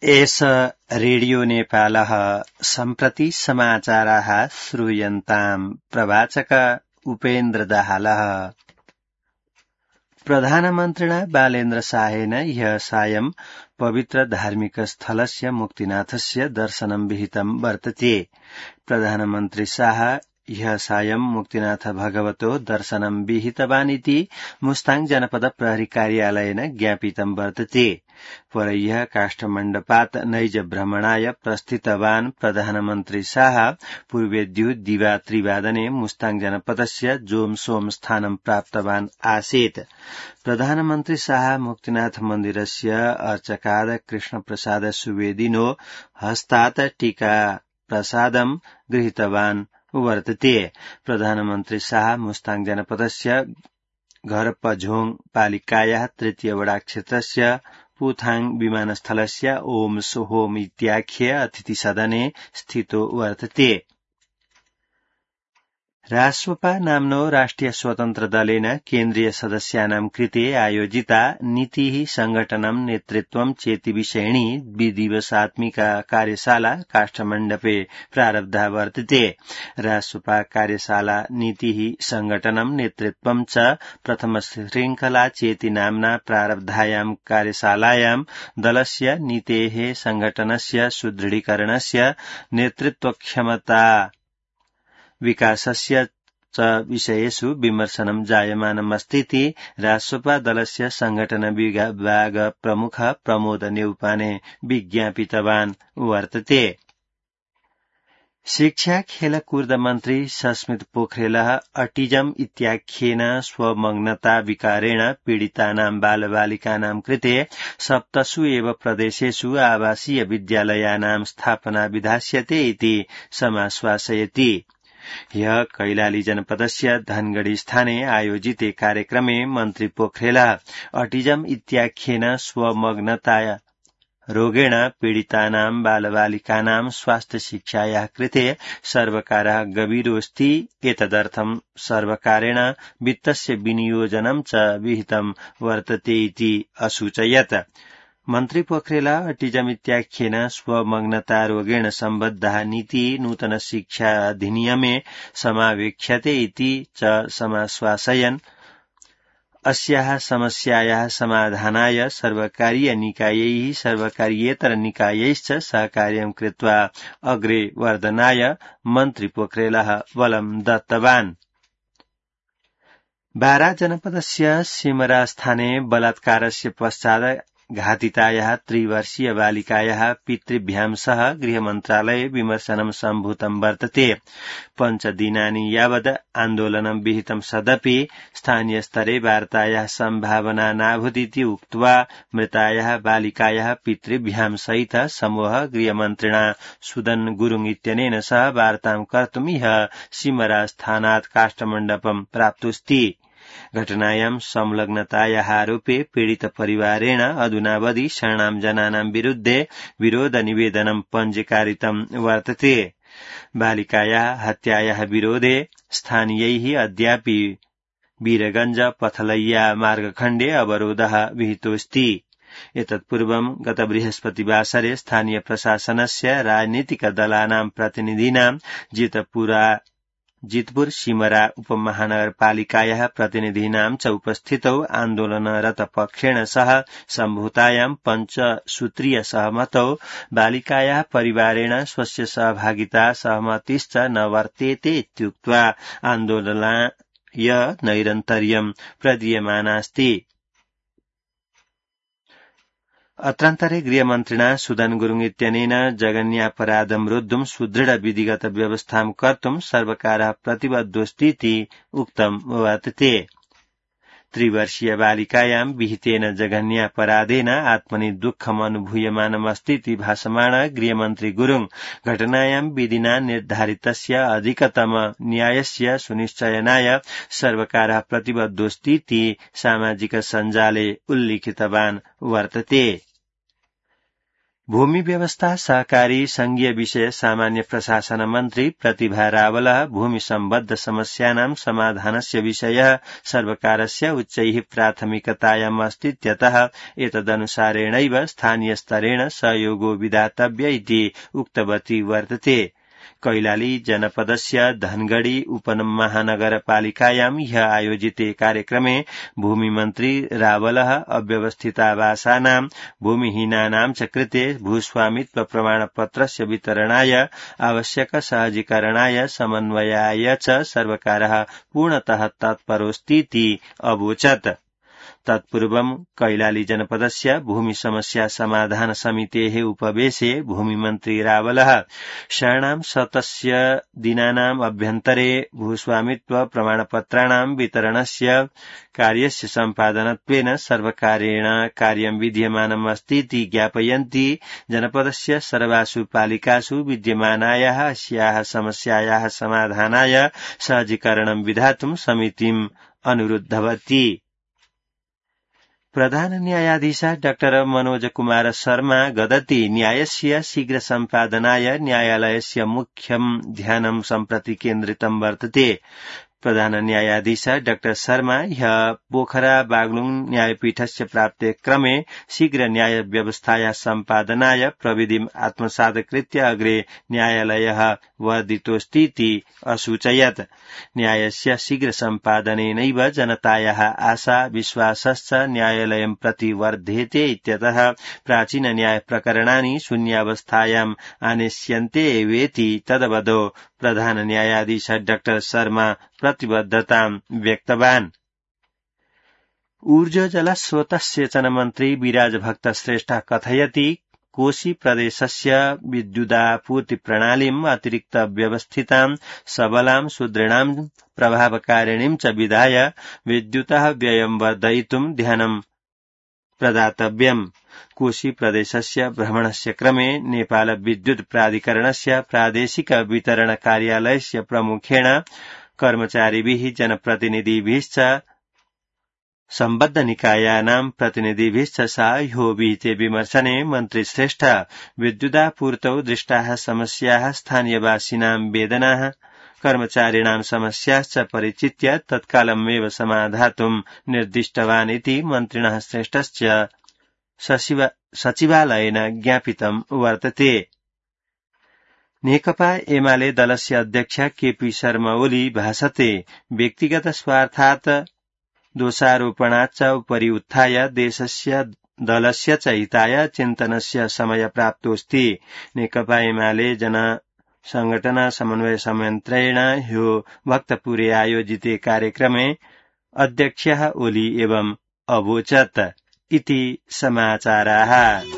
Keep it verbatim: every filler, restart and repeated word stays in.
एष रेडियो नेपालः सम्प्रति समाचाराः श्रूयन्ताम् प्रवाचक उपेन्द्र दाहालः। प्रधानमन्त्रिणा बालेन्द्र शाहेन ह्यः सायं पवित्र धार्मिक स्थलस्य मुक्तिनाथस्य दर्शनं विहितं वर्तते। प्रधानमन्त्री शाह ह्यः सायं मुक्तिनाथ भगवतो दर्शनं विहितवानिति मुस्ताङ जनपद प्रहरी कार्यालयेन ज्ञापितं वर्तते। परह्यः काष्ठमण्डपात् नैज भ्रमणाय प्रस्थितवान् प्रधानमन्त्री शाह पूर्वेद्यु दिवा त्रिवादने मुस्ताङ जनपदस्य जोम सोम स्थानं प्राप्तवान् आसीत्। प्रधानमन्त्री शाह मुक्तिनाथ मन्दिरस्य अर्चकाद कृष्णप्रसाद सुवेदिनो हस्तात् टीका प्रसादं गृहीतवान् वर्तते। प्रधानमन्त्री शाह मुस्ताङ जनपदस्य घरपझोङ पालिकायाः तृतीय वडा क्षेत्रस्य पुथाङ विमानस्थलस्य ओम सोहोम इत्याख्य अतिथिसदने स्थितो वर्तते। राष्ट्रपा नाम्नो राष्ट्रिय स्वतन्त्र दलेन केन्द्रीय सदस्यानां कृते आयोजिता नीतिः संघटनं नेतृत्वं चेति विषयिणी द्विदिवसात्मिका कार्यशाला काष्ठमण्डपे प्रारब्धा वर्तते। राष्ट्रपा कार्यशाला नीतिः संघटनं नेतृत्वं च प्रथम श्रृंखला चेति नाम्ना प्रारब्धायां कार्यशालायां दलस्य नीतेः संघटनस्य सुदृढीकरणस्य नेतृत्वक्षमता विकासस्य च विषयेषु विमर्शनं जायमानमस्तीति राष्ट्रपा दलस्य संघटन विभाग प्रमुख प्रमोद नेउपाने विज्ञापितवान् वर्तते। शिक्षा खेलकूद मन्त्री सस्मित पोखरेलः अटिजम इत्याख्येन स्वमग्नता विकारेण पीडितानां बालबालिकानां कृते सप्तसु एव प्रदेशेषु आवासीय विद्यालयानां स्थापना विधास्यते इति समाश्वासयति। ह्यः कैलाली जनपदस्य धनगढ़ी स्थाने आयोजिते कार्यक्रमे मन्त्री पोखरेलः अटिजम इत्याख्येन स्वमग्नता रोगेण पीडितानां बालबालिकानां स्वास्थ्य शिक्षायाः कृते सर्वकारः गभीरोऽस्ति एतदर्थं सर्वकारेण वित्तस्य विनियोजनं च विहितं वर्तते इति असूचयत्। मन्त्री पोखरेलः अटिजम इत्याख्येन स्वमग्नता रोगेण सम्बद्धा नीति नूतन शिक्षा अधिनियमे समावेक्ष्यते इति च समाश्वासयन् अस्याः समस्यायाः समाधानाय सर्वकारीय निकायैः सर्वकारीयेतर निकायैश्च सहकार्यं कृत्वा अग्रे वर्धनाय मन्त्री पोखरेलः बलं दत्तवान्। बारा जनपदस्य सिमरास्थाने बलात्कारस्य पश्चात् घातितायाः त्रिवर्षीय बालिकायाः पितृभ्यां सह गृहमन्त्रालये विमर्शनं सम्भूतं वर्तते। पञ्चदिनानि यावत् आन्दोलनं विहितं सदपि स्थानीयस्तरे वार्तायाः सम्भावना नाभूदिति उक्त्वा मृतायाः बालिकायाः पितृभ्यां सहित समूह गृहमन्त्रिणा सुदन गुरुङ इत्यनेन सह वार्तां कर्तुं ह्यः सिमरास्थानात् काष्ठमण्डपं प्राप्तोऽस्ति। घटनायां संलग्नतायाः आरोपे पीडित परिवारेण अधुनावधि शरणां जनानां विरुद्धे विरोध निवेदनं पञ्जीकारितं वर्तते। बालिकायाः हत्यायाः विरोधे स्थानीयैः अद्यापि वीरगंज पथलैया मार्गखण्डे अवरोधः विहितोऽस्ति। एतत्पूर्वं गत बृहस्पतिवासरे स्थानीय प्रशासनस्य राजनीतिक दलानां प्रतिनिधीनां जितपुरा जितपुर सिमरा उपमहानगरपालिकायाः प्रतिनिधीनां च उपस्थितौ आन्दोलनरत पक्षेण सह सम्भूतायां पञ्चसूत्रीय सहमतौ बालिकायाः परिवारेण स्वस्य सहभागिता सहमतिश्च न वर्तेते इत्युक्त्वा आन्दोलनाय नैरन्तर्यं प्रदीयमानास्ति। अत्रान्तरे गृहमन्त्रिणा सुदन गुरुङ इत्यनेन जघन्यापराधं रोद्धुं सुदृढ विधिगत व्यवस्थां कर्तुं सर्वकारः प्रतिबद्धोऽस्तीति उक्तं वर्तते। त्रिवर्षीय बालिकायां विहितेन जघन्यापराधेन आत्मनि दुःखम् अनुभूयमानमस्तीति भाषमाण गृहमन्त्री गुरुङ घटनायां विधिना निर्धारितस्य अधिकतम न्यायस्य सुनिश्चयनाय सर्वकारः प्रतिबद्धोऽस्तीति सामाजिक सञ्जाले उल्लिखितवान् वर्तते। भूमि व्यवस्था सहकारी संघीय विषय सामान्य प्रशासन मन्त्री प्रतिभा रावलः भूमि सम्बद्ध समस्यानां समाधानस्य विषयः सर्वकारस्य उच्चैः प्राथमिकतायाम् अस्तीत्यतः एतदनुसारेणैव स्थानीयस्तरेण सहयोगो विधातव्य इति उक्तवती वर्तते। कैलाली जनपदस्य धनगढ़ी उपमहानगरपालिकायां ह्यः आयोजिते कार्यक्रमे भूमिमन्त्री रावलः अव्यवस्थितावासानां भूमिहीनानां च कृते भूस्वामित्व प्रमाणपत्रस्य वितरणाय आवश्यक सहजीकरणाय समन्वयाय च सर्वकारः पूर्णतः तत्परोऽस्तीति अवोचत्। तत्पूर्वं कैलाली जनपदस्य भूमि समस्या समाधान समितेः उपवेशे भूमिमन्त्री रावलः षण्णां शतस्य दिनानाम् अभ्यन्तरे भूस्वामित्व प्रमाणपत्राणां वितरणस्य कार्यस्य सम्पादनत्वेन सर्वकारेण कार्यं विद्यमानम् अस्तीति ज्ञापयन्ती जनपदस्य सर्वासु पालिकासु विद्यमानायाः अस्याः समस्यायाः समाधानाय सहजीकरणं विधातुं समितिम् अनुरुद्धवती। प्रधान न्यायाधीश डाक्टर मनोज कुमार शर्मा गदति न्यायस्य शीघ्र सम्पादनाय न्यायालयस्य मुख्यं ध्यानं सम्प्रति केन्द्रितं वर्तते। प्रधान न्यायाधीश डाक्टर शर्मा ह्यः पोखरा बागलुङ न्यायपीठस्य प्राप्ते क्रमे शीघ्र न्याय व्यवस्थाया सम्पादनाय प्रविधिम् आत्मसात् कृत्य अग्रे न्यायालयः वर्धितोऽस्तीति असूचयत्। न्यायस्य शीघ्र सम्पादनेनैव जनतायाः आशा विश्वासश्च न्यायालयं प्रति वर्धेते इत्यतः प्राचीन न्याय प्रकरणानि शून्यावस्थायाम् आनेष्यन्ते एवेति तदवदो प्रधान न्यायाधीश डाक्टर शर्मा प्रतिबद्धतां व्यक्तवान्। ऊर्जा जल स्रोत सेचन मन्त्री विराज भक्त श्रेष्ठ कथयति कोशी प्रदेशस्य विद्युदापूर्ति प्रणालीम् अतिरिक्त व्यवस्थितां सबलां सुदृढां प्रभावकारिणीं च विधाय विद्युतः व्ययं वर्धयितुं ध्यानं प्रदातव्यम्। कोशी प्रदेशस्य भ्रमणस्य क्रमे नेपाल विद्युत प्राधिकरणस्य प्रादेशिक वितरण कार्यालयस्य प्रमुखेण कर्मचारिभिः जनप्रतिनिधिभिश्च सम्बद्ध निकायानां प्रतिनिधिभिश्च साहो विहिते विमर्शने मन्त्री श्रेष्ठ विद्युदापूर्तौ दृष्टाः समस्याः स्थानीयवासिनां वेदनाः कर्मचारिणां समस्याश्च परिचित्य तत्कालमेव समाधातुं निर्दिष्टवान् इति मन्त्रिणः श्रेष्ठस्य सचिवालयेन ज्ञापितं वर्तते। नेकपा एमाले दलस्य अध्यक्ष केपी शर्मा ओली भाषते व्यक्तिगत स्वार्थात् दोषारोपणाच्च उपरि उत्थाय देशस्य दलस्य च हिताय चिन्तनस्य समय प्राप्तोऽस्ति। नेकपा एमाले जन संगठन समन्वय संयन्त्रेण ह्यो भक्तपुरे आयोजिते कार्यक्रमे अध्यक्षः ओली एवं अवोचत् इति समाचाराः।